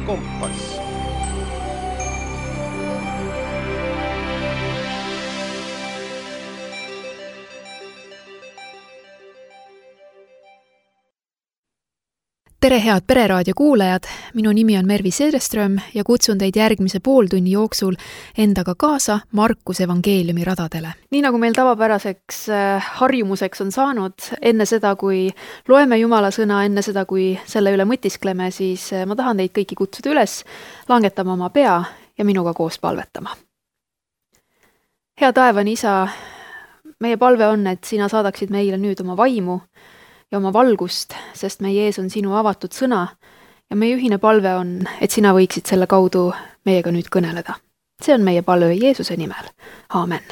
kompass. Tere head Pereraadio kuulajad, minu nimi on Mervi Sedeström ja kutsun teid järgmise pooltunni jooksul endaga kaasa Markuse evangeeliumi radadele. Nii nagu meil tavapäraseks harjumuseks on saanud, enne seda, kui loeme Jumala sõna, enne seda, kui selle üle mõtiskleme, siis ma tahan teid kõiki kutsuda üles langetama oma pea ja minuga koos palvetama. Hea taevani Isa, meie palve on, et sina saadaksid meile nüüd oma vaimu ja oma valgust, sest meie ees on sinu avatud sõna ja meie ühine palve on, et sina võiksid selle kaudu meiega nüüd kõneleda. See on meie palve Jeesuse nimel. Aamen.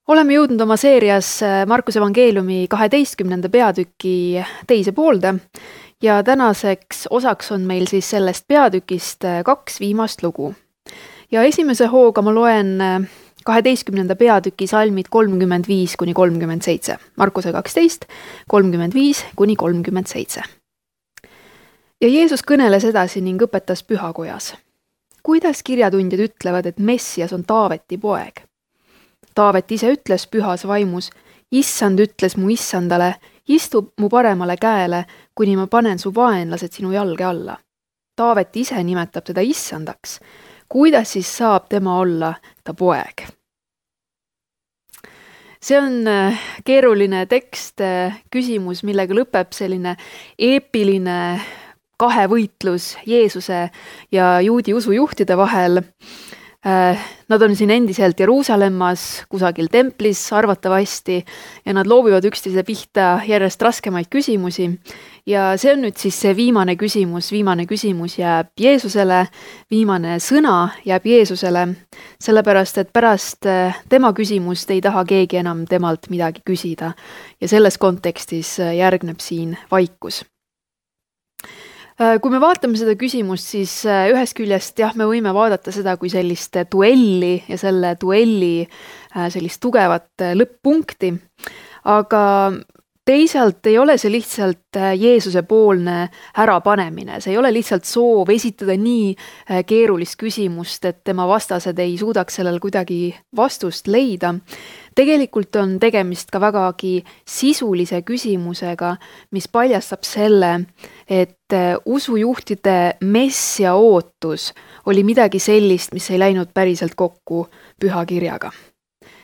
Oleme jõudnud oma seerias Markuse evangeeliumi 12. peatüki teise poolde ja tänaseks osaks on meil siis sellest peatükist 2 viimast lugu. Ja esimese hooga ma loen 12. peatüki salmid 35-37. Markuse 12, 35-37. Ja Jeesus kõneles edasi ning õpetas pühakojas. Kuidas kirjatundjad ütlevad, et Messias on Taaveti poeg? Taavet ise ütles pühas vaimus, Issand ütles mu issandale, istu mu paremale käele, kuni ma panen su vaenlased sinu jalge alla. Taavet ise nimetab teda issandaks. Kuidas siis saab tema olla ta poeg? See on keeruline tekst, küsimus, millega lõpeb selline eepiline kahevõitlus Jeesuse ja juudi usujuhtide vahel. Nad on siin endiselt Jeruusalemmas, kusagil templis arvatavasti ja nad loobivad üksteise pihta järjest raskemaid küsimusi. Ja see on nüüd siis see viimane küsimus jääb Jeesusele, viimane sõna jääb Jeesusele, sellepärast et pärast tema küsimust ei taha keegi enam temalt midagi küsida ja selles kontekstis järgneb siin vaikus. Kui me vaatame seda küsimust, siis ühest küljest me võime vaadata seda kui sellist duelli ja selle duelli sellist tugevat lõpp-punkti, aga teisalt ei ole see lihtsalt Jeesuse poolne ärapanemine, see ei ole lihtsalt soov esitada nii keerulist küsimust, et tema vastased ei suudaks sellel kuidagi vastust leida. Tegelikult on tegemist ka vägagi sisulise küsimusega, mis paljastab selle, et usujuhtide messia ootus oli midagi sellist, mis ei läinud päriselt kokku pühakirjaga.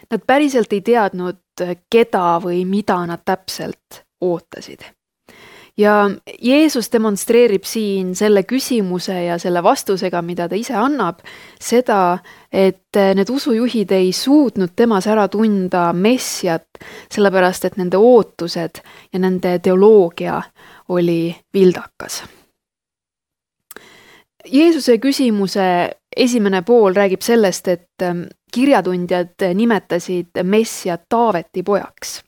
Nad päriselt ei teadnud, keda või mida nad täpselt ootasid. Ja Jeesus demonstreerib siin selle küsimuse ja selle vastusega, mida ta ise annab, seda, et need usujuhid ei suutnud temas ära tunda messiat, sellepärast et nende ootused ja nende teoloogia oli vildakas. Jeesuse küsimuse esimene pool räägib sellest, et kirjatundjad nimetasid messiat Taaveti pojaks.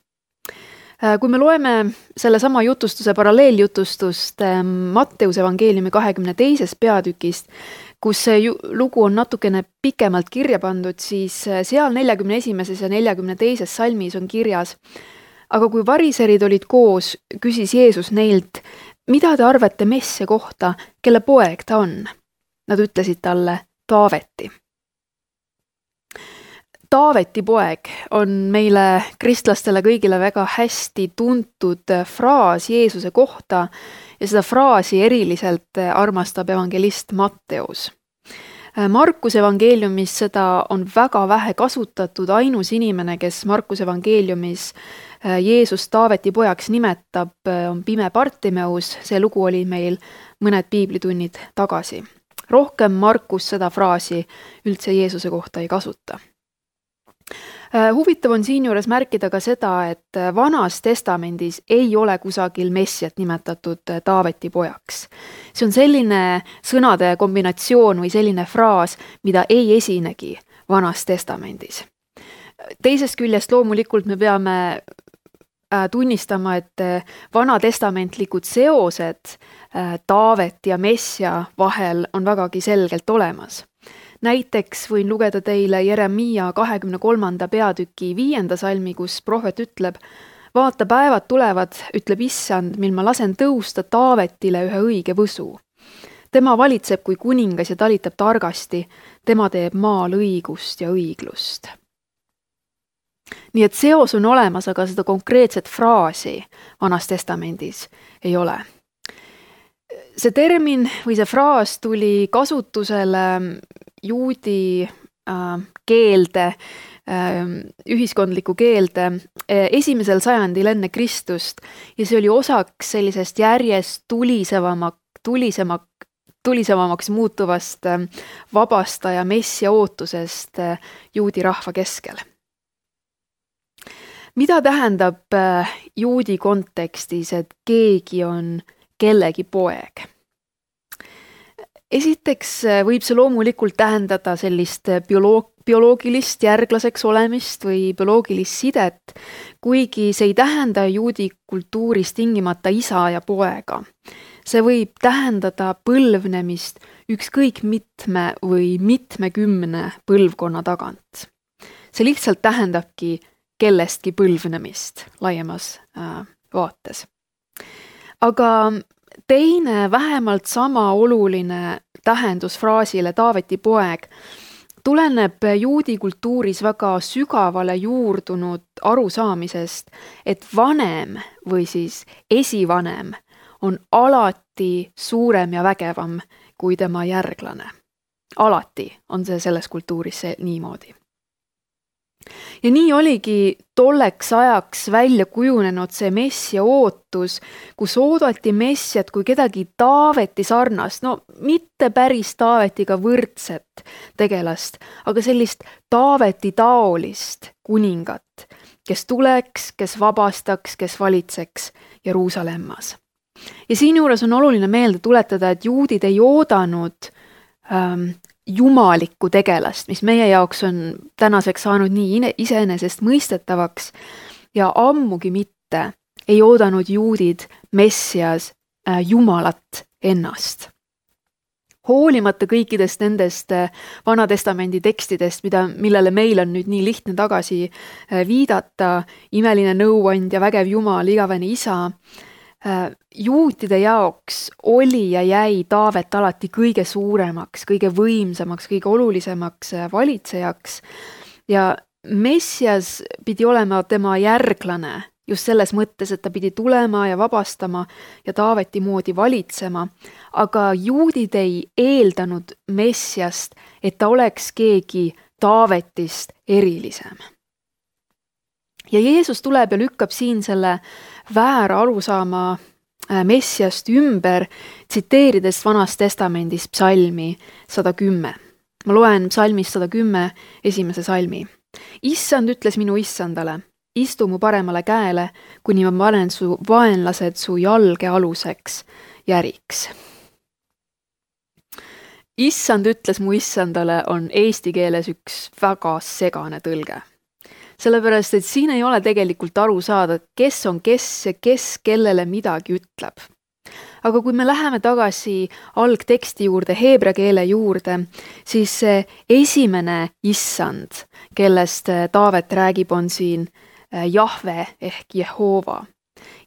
Kui me loeme selle sama jutustuse paralleeljutustust Matteuse evangeeliumi 22. peatükist, kus see lugu on natukene pikemalt kirja pandud, siis seal 41. ja 42. salmis on kirjas, aga kui variserid olid koos, küsis Jeesus neilt, mida te arvate messia kohta, kelle poeg ta on? Nad ütlesid talle Taaveti. Taaveti poeg on meile kristlastele kõigile väga hästi tuntud fraas Jeesuse kohta ja seda fraasi eriliselt armastab evangelist Matteus. Markuse evangeeliumis seda on väga vähe kasutatud, ainus inimene, kes Markuse evangeeliumis Jeesus Taaveti pojaks nimetab, on pime Bartimeus, see lugu oli meil mõned piiblitunnid tagasi. Rohkem Markus seda fraasi üldse Jeesuse kohta ei kasuta. Huvitav on siinjuures märkida ka seda, et Vanas testamendis ei ole kusagil messiat nimetatud Taaveti pojaks. See on selline sõnade kombinatsioon või selline fraas, mida ei esinegi Vanas testamendis. Teisest küljest loomulikult me peame tunnistama, et vanatestamentlikud seosed Taavet ja messia vahel on vägagi selgelt olemas. Näiteks võin lugeda teile Jeremiia 23. peatüki 5. salmi, kus prohvet ütleb, vaata, päevad tulevad, ütleb Issand, mil ma lasen tõusta Taavetile ühe õige võsu. Tema valitseb kui kuningas ja talitab targasti, tema teeb maal õigust ja õiglust. Nii et seos on olemas, aga seda konkreetset fraasi Vanas Testamendis ei ole. See termin või see fraas tuli kasutusele juudi keelde, ühiskondlikku keelde 1. sajandil enne Kristust ja see oli osaks sellisest järjest tulisemamaks muutuvast vabastaja messia ootusest juudi rahva keskel. Mida tähendab juudi kontekstis, et keegi on kellegi poeg? Esiteks võib see loomulikult tähendada sellist bioloogilist järglaseks olemist või bioloogilist sidet, kuigi see ei tähenda juudi kultuuris tingimata isa ja poega. See võib tähendada põlvnemist ükskõik mitme või mitmekümne põlvkonna tagant. See lihtsalt tähendabki kellestki põlvnemist laiemas vaates. Aga teine vähemalt sama oluline tähendus fraasile Taaveti poeg tuleneb juudi kultuuris väga sügavale juurdunud arusaamisest, et vanem või siis esivanem on alati suurem ja vägevam kui tema järglane. Alati on see selles kultuuris niimoodi. Ja nii oligi tolleks ajaks välja kujunenud see messia ootus, kus oodati messiat kui kedagi Taaveti sarnast, no mitte päris Taavetiga võrdset tegelast, aga sellist Taaveti taolist kuningat, kes tuleks, kes vabastaks, kes valitseks Jeruusalemmas. Ja siinjuures on oluline meelde tuletada, et juudid ei oodanud jumalikku tegelast, mis meie jaoks on tänaseks saanud nii iseenesest mõistetavaks ja ammugi mitte ei oodanud juudid messias Jumalat ennast. Hoolimata kõikidest nendest Vana Testamendi tekstidest, millele meil on nüüd nii lihtne tagasi viidata, imeline nõuandja, vägev Jumal, igavene isa, juutide jaoks oli ja jäi Taavet alati kõige suuremaks, kõige võimsamaks, kõige olulisemaks valitsejaks ja messias pidi olema tema järglane just selles mõttes, et ta pidi tulema ja vabastama ja Taaveti moodi valitsema, aga juudid ei eeldanud messiast, et ta oleks keegi Taavetist erilisem. Ja Jeesus tuleb ja lükkab siin selle väära arusaama messiast ümber, tsiteerides Vanast Testamendist psalmi 110. Ma loen psalmist 110 esimese salmi. Issand ütles minu issandale, istu mu paremale käele, kuni ma panen su vaenlased su jalge aluseks järiks. Issand ütles mu issandale on eesti keeles üks väga segane tõlge. Sellepärast, et siin ei ole tegelikult aru saada, kes on kes ja kes kellele midagi ütleb. Aga kui me läheme tagasi algteksti juurde, heebrea keele juurde, siis see esimene issand, kellest Taavet räägib, on siin Jahve ehk Jehova.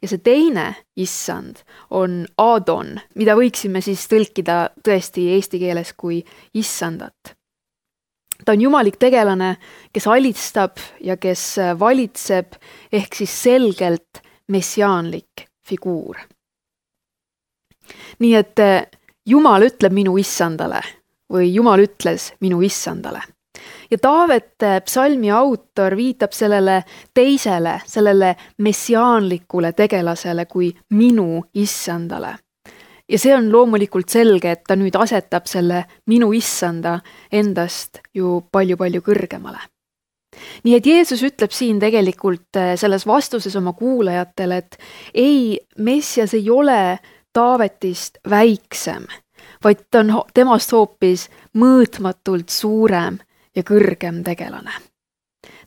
Ja see teine issand on Adon, mida võiksime siis tõlkida tõesti eesti keeles kui issandat. Ta on jumalik tegelane, kes alistab ja kes valitseb, ehk siis selgelt messiaanlik figuur. Nii et Jumal ütleb minu issandale või Jumal ütles minu issandale. Ja Taavet psalmi autor viitab sellele teisele, sellele messiaanlikule tegelasele kui minu issandale. Ja see on loomulikult selge, et ta nüüd asetab selle minu issanda endast ju palju-palju kõrgemale. Nii et Jeesus ütleb siin tegelikult selles vastuses oma kuulajatele, et ei, messias ei ole Taavetist väiksem, vaid ta on temast hoopis mõõtmatult suurem ja kõrgem tegelane.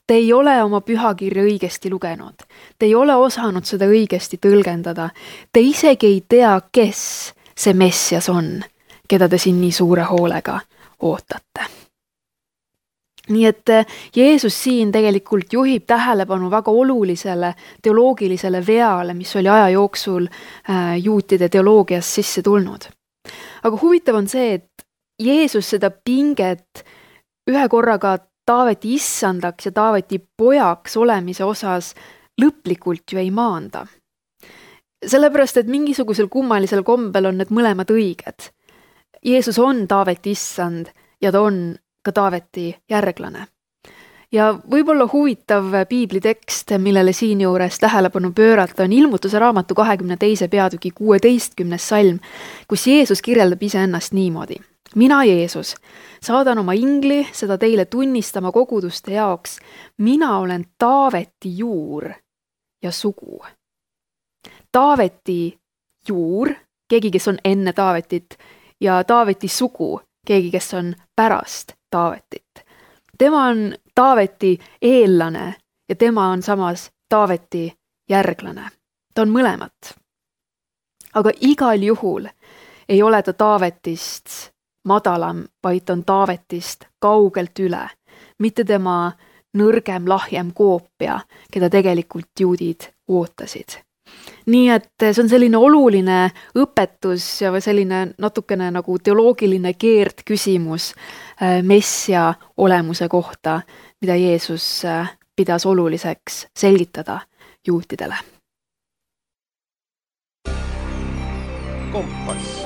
Te ei ole oma pühakirja õigesti lugenud. Te ei ole osanud seda õigesti tõlgendada. Te isegi ei tea, kes see messias on, keda te siin nii suure hoolega ootate. Nii et Jeesus siin tegelikult juhib tähelepanu väga olulisele teoloogilisele veale, mis oli aja jooksul juutide teoloogias sisse tulnud. Aga huvitav on see, et Jeesus seda pinget ühe korraga Taaveti issandaks ja Taaveti pojaks olemise osas lõplikult ju ei maanda. Sellepärast, et mingisugusel kummalisel kombel on need mõlemad õiged. Jeesus on Taaveti issand ja ta on ka Taaveti järglane. Ja võib-olla huvitav piiblitekst, millele siinjuures tähelepanu pöörata, on Ilmutuse raamatu 22. peatüki 16. salm, kus Jeesus kirjeldab iseennast niimoodi. Mina, Jeesus, saadan oma ingli seda teile tunnistama koguduste jaoks. Mina olen Taaveti juur ja sugu. Taaveti juur, keegi, kes on enne Taavetit, ja Taaveti sugu, keegi, kes on pärast Taavetit. Tema on Taaveti eellane ja tema on samas Taaveti järglane. Ta on mõlemat. Aga igal juhul ei ole ta Taavetist madalam, vaid on Taavetist kaugelt üle, mitte tema nõrgem, lahjem koopia, keda tegelikult juudid ootasid. Nii et see on selline oluline õpetus ja selline natukene nagu teoloogiline keerdküsimus messia olemuse kohta, mida Jeesus pidas oluliseks selgitada juutidele. Kompass.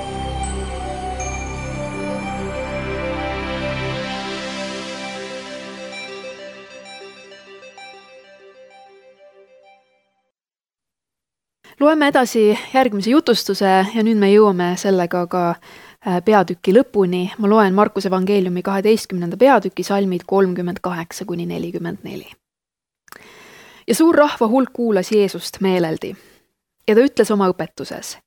Loeme edasi järgmise jutustuse ja nüüd me jõuame sellega ka peatüki lõpuni. Ma loen Markuse evangeeliumi 12. peatüki salmid 38–44. Ja suur rahva hulk kuulas Jeesust meeleldi. Ja ta ütles oma õpetuses: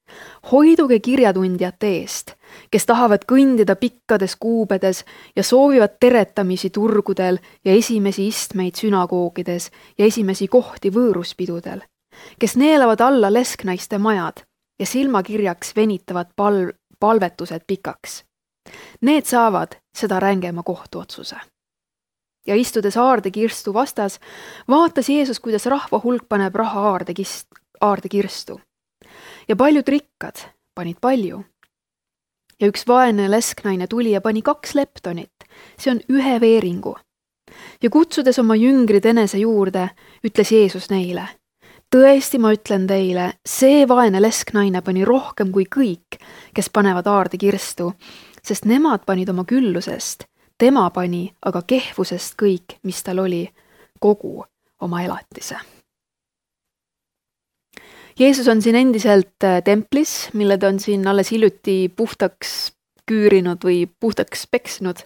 hoiduge kirjatundjate eest, kes tahavad kõndida pikkades kuubedes ja soovivad teretamisi turgudel ja esimesi istmeid sünagoogides ja esimesi kohti võõruspidudel, kes neelavad alla lesknaiste majad ja silmakirjaks venitavad palvetused pikaks. Need saavad seda rängema kohtuotsuse. Ja istudes aardekirstu vastas, vaatas Jeesus, kuidas rahva hulk paneb raha aardekirstu. Ja paljud rikkad panid palju. Ja üks vaene lesknaine tuli ja pani 2 leptonit, see on 1 veeringu. Ja kutsudes oma jüngrid enese juurde, ütles Jeesus neile: tõesti, ma ütlen teile, see vaene lesknaine pani rohkem kui kõik, kes panevad aardekirstu, sest nemad panid oma küllusest, tema pani aga kehvusest kõik, mis tal oli, kogu oma elatise. Jeesus on siin endiselt templis, mille ta on siin alles hiljuti puhtaks küürinud või puhtaks peksnud.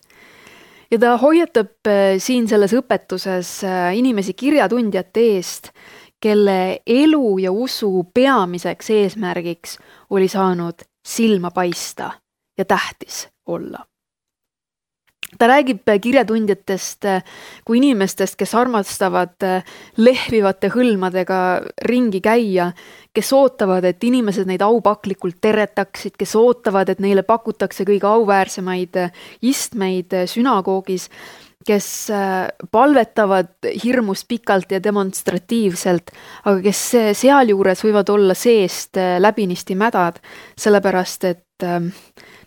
Ja ta hoiatab siin selles õpetuses inimesi kirjatundjate eest, kelle elu ja usu peamiseks eesmärgiks oli saanud silma paista ja tähtis olla. Ta räägib kirjatundjatest kui inimestest, kes armastavad lehvivate hõlmadega ringi käia, kes ootavad, et inimesed neid aupaklikult teretaksid, kes ootavad, et neile pakutakse kõige auväärsemaid istmeid sünagoogis, kes palvetavad hirmus pikalt ja demonstratiivselt, aga kes sealjuures võivad olla seest läbinisti mädad, sellepärast et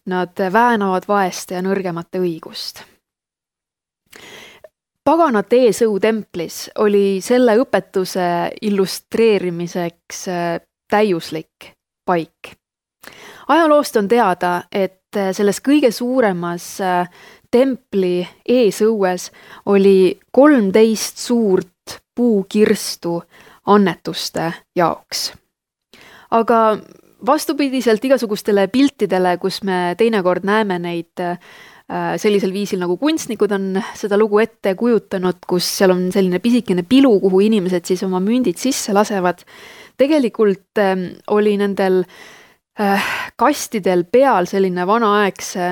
nad väänavad vaeste ja nõrgemate õigust. Paganate eesõu templis oli selle õpetuse illustreerimiseks täiuslik paik. Ajaloost on teada, et selles kõige suuremas templi eesõues oli 13 suurt puukirstu annetuste jaoks. Aga vastupidiselt igasugustele piltidele, kus me teinekord näeme neid sellisel viisil, nagu kunstnikud on seda lugu ette kujutanud, kus seal on selline pisikene pilu, kuhu inimesed siis oma mündid sisse lasevad. Tegelikult oli nendel kastidel peal selline vanaaegse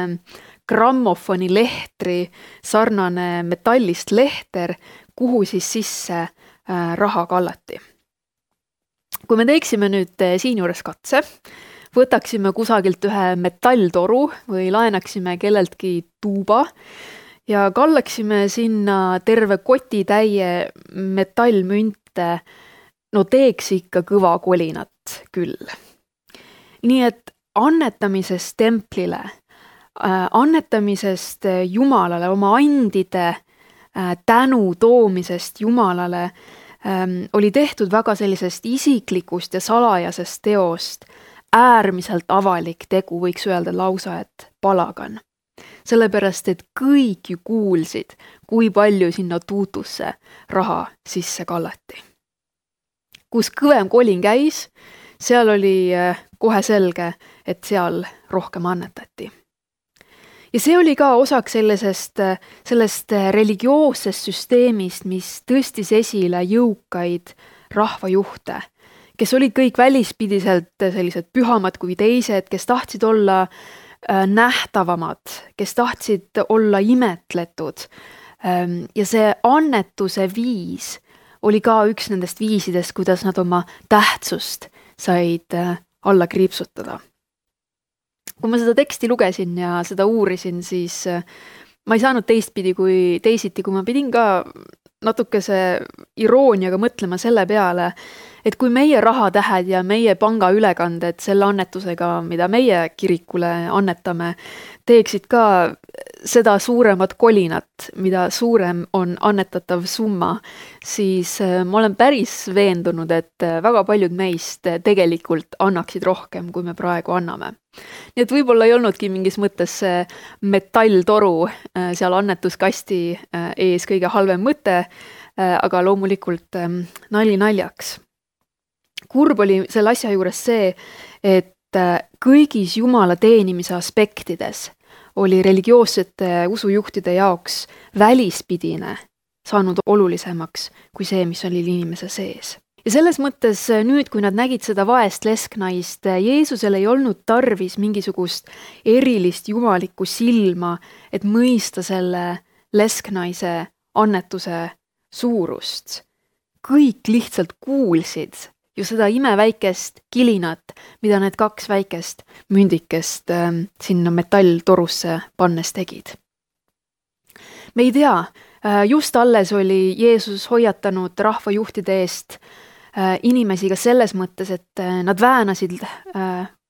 grammofoni lehtri sarnane metallist lehter, kuhu siis sisse raha kallati. Kui me teeksime nüüd siinjuures katse, võtaksime kusagilt ühe metalltoru või laenaksime kelleltki tuuba ja kallaksime sinna terve kotitäie metallmünte, no teeks ikka kõva kolinat küll. Nii et annetamisest templile, annetamisest Jumalale, oma andide tänu toomisest Jumalale oli tehtud väga sellisest isiklikust ja salajasest teost äärmiselt avalik tegu, võiks öelda lausa, et palagan. Sellepärast, et kõik ju kuulsid, kui palju sinna tuutusse raha sisse kallati. Kus kõvem kolin käis, seal oli kohe selge, et seal rohkem annetati. Ja see oli ka osaks sellest religioossest süsteemist, mis tõstis esile jõukaid rahvajuhte, kes olid kõik välispidiselt sellised pühamad kui teised, kes tahtsid olla nähtavamad, kes tahtsid olla imetletud. Ja see annetuse viis oli ka üks nendest viisidest, kuidas nad oma tähtsust said alla kriipsutada. Kui ma seda teksti lugesin ja seda uurisin, siis ma ei saanud teisiti, kui ma pidin ka natukese irooniaga mõtlema selle peale, et kui meie rahatähed ja meie pangaülekanded selle annetusega, mida meie kirikule annetame, teeksid ka seda suuremat kolinat, mida suurem on annetatav summa, siis ma olen päris veendunud, et väga paljud meist tegelikult annaksid rohkem, kui me praegu anname. Nii et võib-olla ei olnudki mingis mõttes see metalltoru seal annetuskasti ees kõige halvem mõte, aga loomulikult nali naljaks. Kurb oli selle asja juures see, et kõigis Jumala teenimise aspektides oli religioossete usujuhtide jaoks välispidine saanud olulisemaks kui see, mis oli inimese sees. Ja selles mõttes nüüd, kui nad nägid seda vaest lesknaist, Jeesusel ei olnud tarvis mingisugust erilist jumalikku silma, et mõista selle lesknaise annetuse suurust. Kõik lihtsalt kuulsid ju seda imeväikest kilinat, mida need kaks väikest mündikest sinna metalltorusse pannes tegid. Me ei tea, just alles oli Jeesus hoiatanud rahvajuhtide eest inimesi ka selles mõttes, et nad väänasid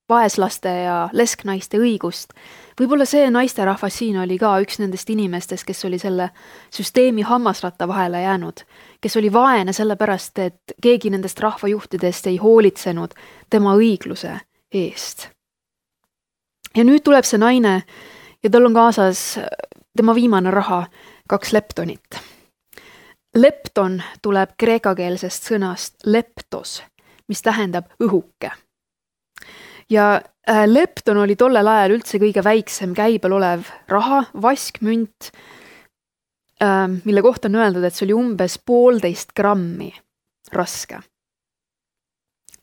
vaeslaste ja lesknaiste õigust. Võib-olla see naisterahvas siin oli ka üks nendest inimestest, kes oli selle süsteemi hammasratta vahele jäänud, kes oli vaene sellepärast, et keegi nendest rahvajuhtidest ei hoolitsenud tema õigluse eest. Ja nüüd tuleb see naine ja tal on kaasas tema viimane raha, 2 leptonit. Lepton tuleb kreekakeelsest sõnast leptos, mis tähendab õhuke. Ja lepton oli tollel ajal üldse kõige väiksem käibel olev raha, vaskmünt, mille kohta on öeldud, et see oli umbes 1,5 grammi raske.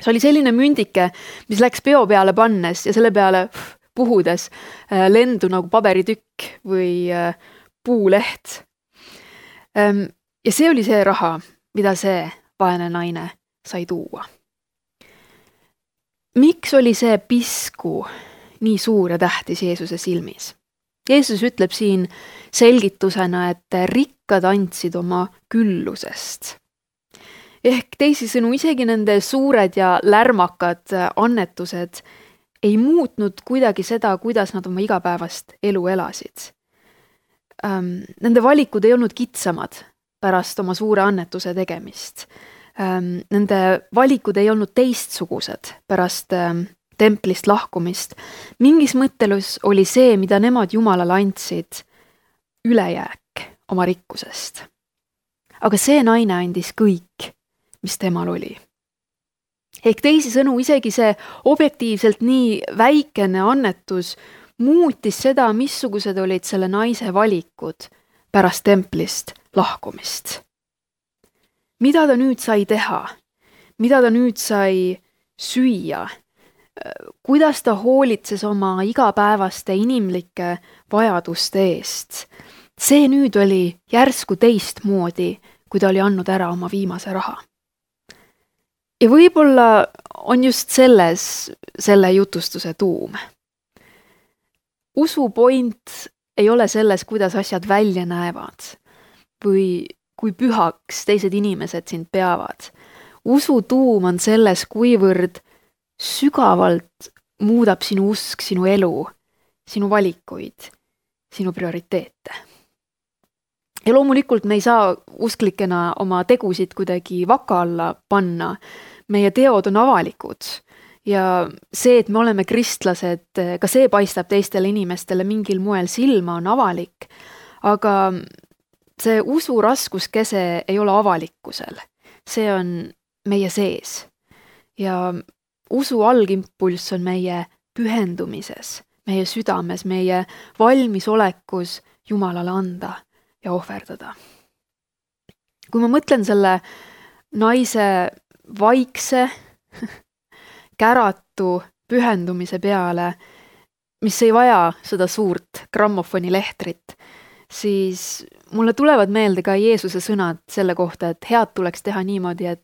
See oli selline mündike, mis läks peo peale pannes ja selle peale puhudes lendu nagu paberitükk või puuleht. Ja see oli see raha, mida see vaene naine sai tuua. Miks oli see pisku nii suur ja tähtis Jeesuse silmis? Jeesus ütleb siin selgitusena, et rikkad andsid oma küllusest. Ehk teisisõnu, isegi nende suured ja lärmakad annetused ei muutnud kuidagi seda, kuidas nad oma igapäevast elu elasid. Nende valikud ei olnud kitsamad pärast oma suure annetuse tegemist. Nende valikud ei olnud teistsugused pärast templist lahkumist. Mingis mõttelus oli see, mida nemad Jumalale andsid, ülejääk oma rikkusest. Aga see naine andis kõik, mis temal oli. Ehk teisisõnu, isegi see objektiivselt nii väikene annetus muutis seda, missugused olid selle naise valikud pärast templist lahkumist. Mida ta nüüd sai teha? Mida ta nüüd sai süüa? Kuidas ta hoolitses oma igapäevaste inimlike vajaduste eest? See nüüd oli järsku teistmoodi, kui ta oli andnud ära oma viimase raha. Ja võib-olla on just selle jutustuse tuum. Usu point ei ole selles, kuidas asjad välja näevad või kui pühaks teised inimesed sind peavad. Usu tuum on selles, kuivõrd sügavalt muudab sinu usk, sinu elu, sinu valikuid, sinu prioriteete. Ja loomulikult me ei saa usklikena oma tegusid kuidagi vaka alla panna. Meie teod on avalikud ja see, et me oleme kristlased, ka see paistab teistele inimestele mingil moel silma, on avalik, aga see usu raskuskese ei ole avalikkusel. See on meie sees ja usu algimpulss on meie pühendumises, meie südames, meie valmisolekus Jumalale anda ja ohverdada. Kui ma mõtlen selle naise vaikse, käratu pühendumise peale, mis ei vaja seda suurt grammofoni lehtrit, siis mulle tulevad meelde ka Jeesuse sõnad selle kohta, et head tuleks teha niimoodi, et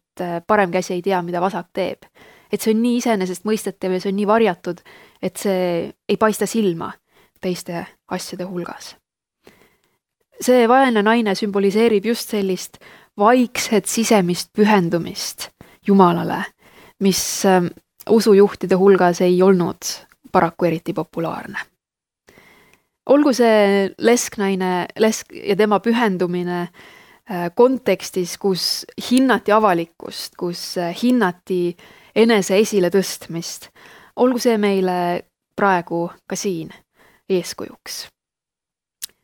parem käsi ei tea, mida vasak teeb. Et see on nii iseenesest mõistetav ja see on nii varjatud, et see ei paista silma teiste asjade hulgas. See vaene naine sümboliseerib just sellist vaikset sisemist pühendumist Jumalale, mis usujuhtide hulgas ei olnud paraku eriti populaarne. Olgu see lesknaine ja tema pühendumine kontekstis, kus hinnati avalikkust, kus hinnati enese esile tõstmist, olgu see meile praegu ka siin eeskujuks.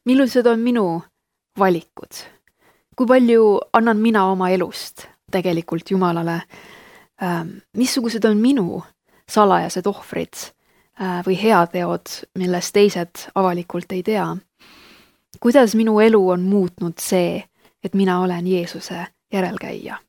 Millised on minu valikud? Kui palju annan mina oma elust tegelikult Jumalale? Missugused on minu salajased ohvrid või heateod, millest teised avalikult ei tea? Kuidas minu elu on muutnud see, et mina olen Jeesuse järelkäija?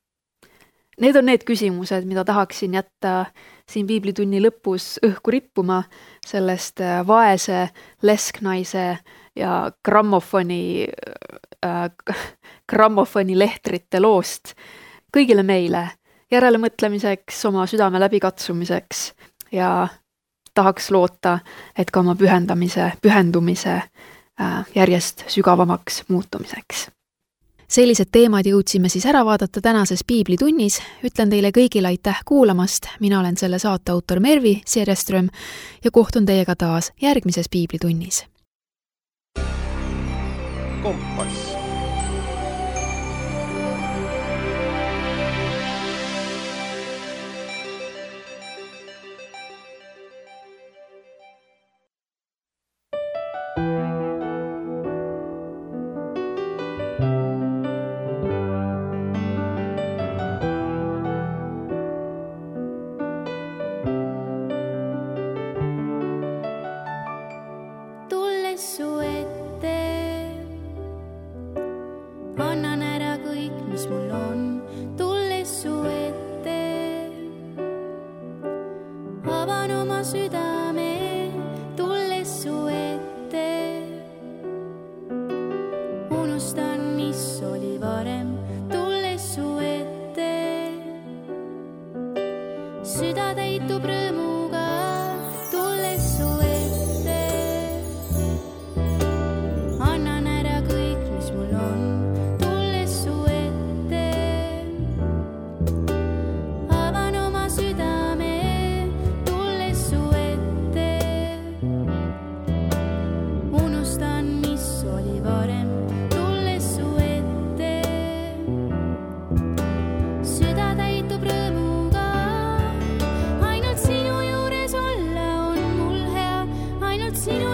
Need on need küsimused, mida tahaksin jätta siin piiblitunni lõpus õhku rippuma sellest vaese lesknaise ja grammofoni lehtrite loost kõigile meile järelemõtlemiseks, oma südame läbikatsumiseks ja tahaks loota, et ka oma pühendumise järjest sügavamaks muutumiseks. Sellised teemad jõudsime siis ära vaadata tänases piiblitunnis. Ütlen teile kõigile aitäh kuulamast. Mina olen selle saate autor Mervi Siereström ja kohtun teiega taas järgmises piiblitunnis. Kompass. Süda täitub rõõmuga, tulles su ette. Annan ära kõik, mis mul on, tulles su ette. Avan oma südame, tulles su ette. Unustan, mis oli varem, tulles su ette. Süda täitub rõõmuga. Sinu